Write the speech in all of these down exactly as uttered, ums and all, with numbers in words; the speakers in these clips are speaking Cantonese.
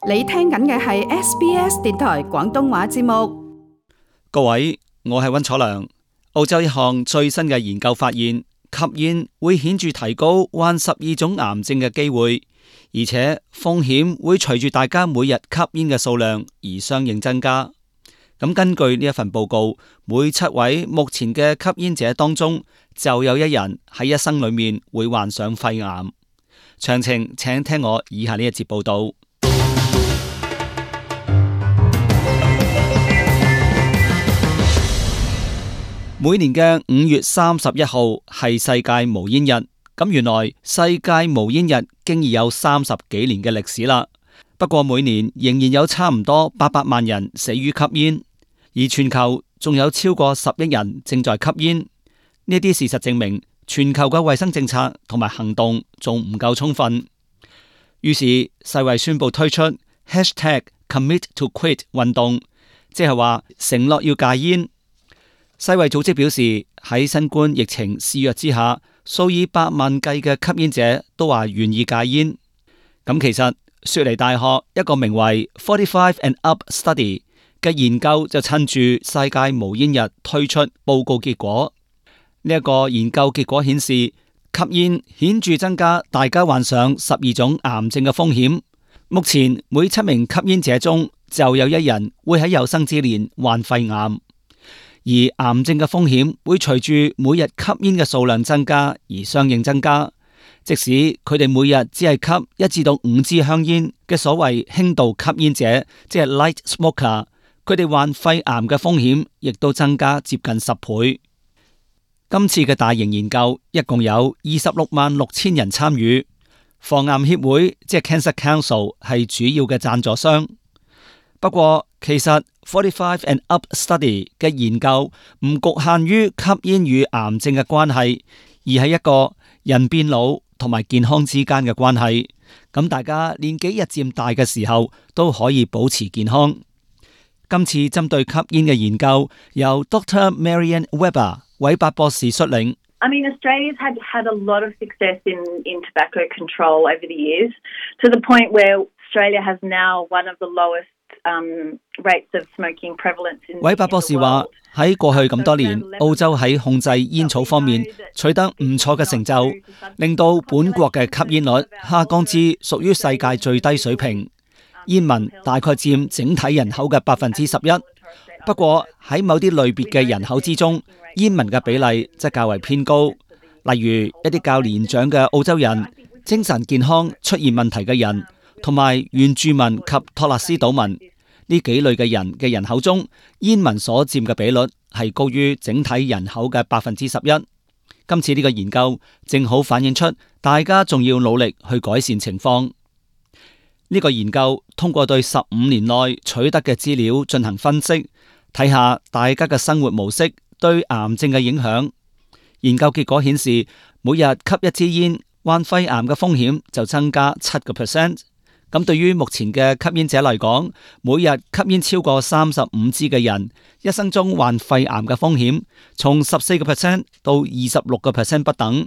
你聽緊嘅係 S B S 電台廣東話節目。各位，我係溫楚良。澳洲一項最新嘅研究發現，吸煙會顯著提高患十二種癌症嘅機會，而且風險會隨住大家每日吸煙嘅數量而相應增加。咁根據呢一份報告，每七位目前嘅吸煙者當中，就有一人喺一生裏面會患上肺癌。詳情請聽我以下呢一節報道。每年嘅五月三十一號係世界無煙日，咁原來世界無煙日經已有三十幾年嘅歷史啦。不過每年仍然有差唔多八百萬人死於吸煙，而全球仲有超過十億人正在吸煙。呢啲事實證明，全球嘅衛生政策同埋行動仲唔夠充分。於是世衛宣布推出 hashtag commit to quit 運動，即係話承諾要戒煙。世衛組織表示，喺新冠疫情肆虐之下，數以百萬計嘅吸煙者都話願意戒煙。咁其實雪梨大學一個名為 forty-five and up study 嘅研究就趁住世界無煙日推出報告結果。呢、這、一個研究結果顯示，吸煙顯著增加大家患上十二種癌症嘅風險。目前每七名吸煙者中就有一人會喺有生之年患肺癌。而癌症嘅風險會隨住每日吸煙嘅數量增加而相應增加，即使佢哋每日只係吸一至到五支香煙嘅所謂輕度吸煙者，即係 light smoker， 佢哋患肺癌嘅風險亦都增加接近十倍。今次嘅大型研究一共有二十六萬六千人參與，防癌協會即係 Cancer Council 係主要嘅贊助商。不過其實forty-five and up study 嘅研究唔局限於吸煙與癌症嘅關係，而係一個人變老同埋健康之間嘅關係。咁大家年紀日漸大嘅時候都可以保持健康。今次針對吸煙嘅研究由 Doctor Marianne Weber 韋伯博士率領。I mean, Australia's had had a lot of success in, in tobacco control over the years, to the point where Australia has now one of the lowest Um, rates of smoking prevalence in, 韋伯博士話喺過去咁多年，澳洲喺控制煙草方面取得唔錯嘅成就，令到本國嘅吸煙率下降至屬於世界最低水平。煙民大概佔整體人口嘅百分之十一，不過喺某啲類別嘅人口之中，煙民嘅比例則較為偏高。例如一啲較年長嘅澳洲人、精神健康出現問題嘅人，同埋原住民及托勒斯島民呢幾類嘅人嘅人口中，煙民所佔嘅比率係高於整體人口嘅百分之十一。今次呢個研究正好反映出大家仲要努力去改善情況。呢、這個研究通過對十五年內取得嘅資料進行分析，睇下大家嘅生活模式對癌症嘅影響。研究結果顯示，每日吸一支煙，患肺癌嘅風險就增加七個 percent。咁對於目前嘅吸煙者嚟講，每日吸煙超過三十五支嘅人，一生中患肺癌嘅風險從十四個 percent 到二十六個 percent 不等，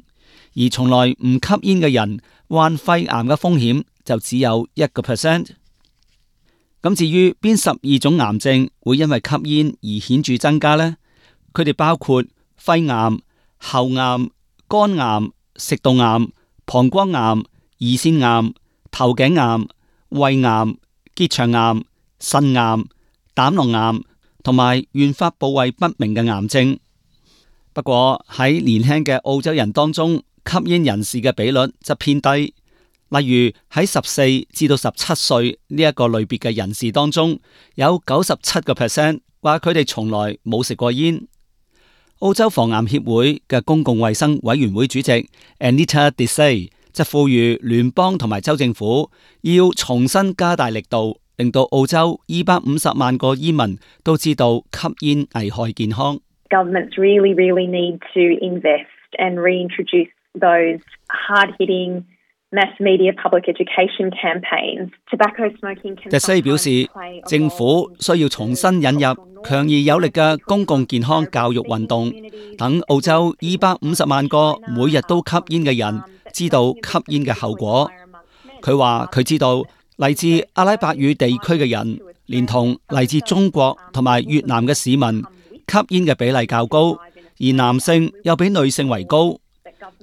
而從來唔吸煙嘅人患肺癌嘅風險就只有一個 percent。咁至於邊十二種癌症會因為吸煙而顯著增加呢？佢哋包括肺癌、喉癌、肝癌、食道癌、膀胱癌、胰腺癌、頭頸癌、胃癌、結腸癌、腎癌、膽囊癌同埋原發部位不明嘅癌症。不過喺年輕嘅澳洲人當中，吸煙人士嘅比率則偏低。例如喺十四至到十七歲呢一個類別嘅人士當中，有九十七個 percent 話佢哋從來冇食過煙。澳洲防癌協會嘅公共衛生委員會主席 Anita Desai就呼籲聯邦同埋州政府要重新加大力度，令到澳洲二百五十萬個煙民都知道吸煙危害健康。Governments really, really need to invest and reintroduce those hard-hitting mass media public education campaigns. Tobacco smoking can... Desai 表示，政府需要重新引入強而有力嘅公共健康教育運動，等澳洲二百五十萬個每日都吸煙嘅人知道吸煙嘅後果。佢話佢知道嚟自阿拉伯語地區嘅人，連同嚟自中國同埋越南嘅市民，吸煙嘅比例較高，而男性又比女性為高。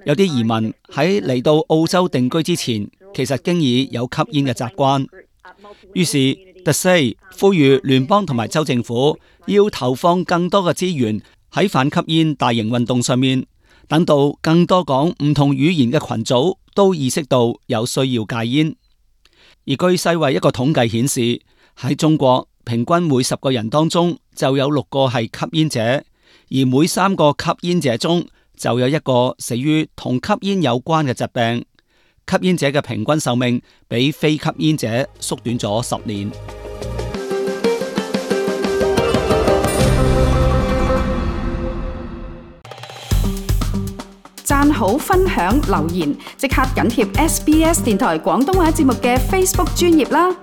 有啲移民喺嚟到澳洲定居之前，其實經已有吸煙嘅習慣。於是 The Say 呼籲聯邦同埋州政府要投放更多嘅資源喺反吸煙大型運動上面，等到更多講唔同語言嘅群組都意識到有需要戒煙。而據世衛一個統計顯示，喺中國平均每十個人當中就有六個係吸煙者，而每三個吸煙者中就有一個死於同吸煙有關嘅疾病。吸煙者嘅平均壽命比非吸煙者縮短咗十年。讚好、分享、留言，即刻緊貼 S B S 電台廣東話節目嘅 Facebook 專頁啦！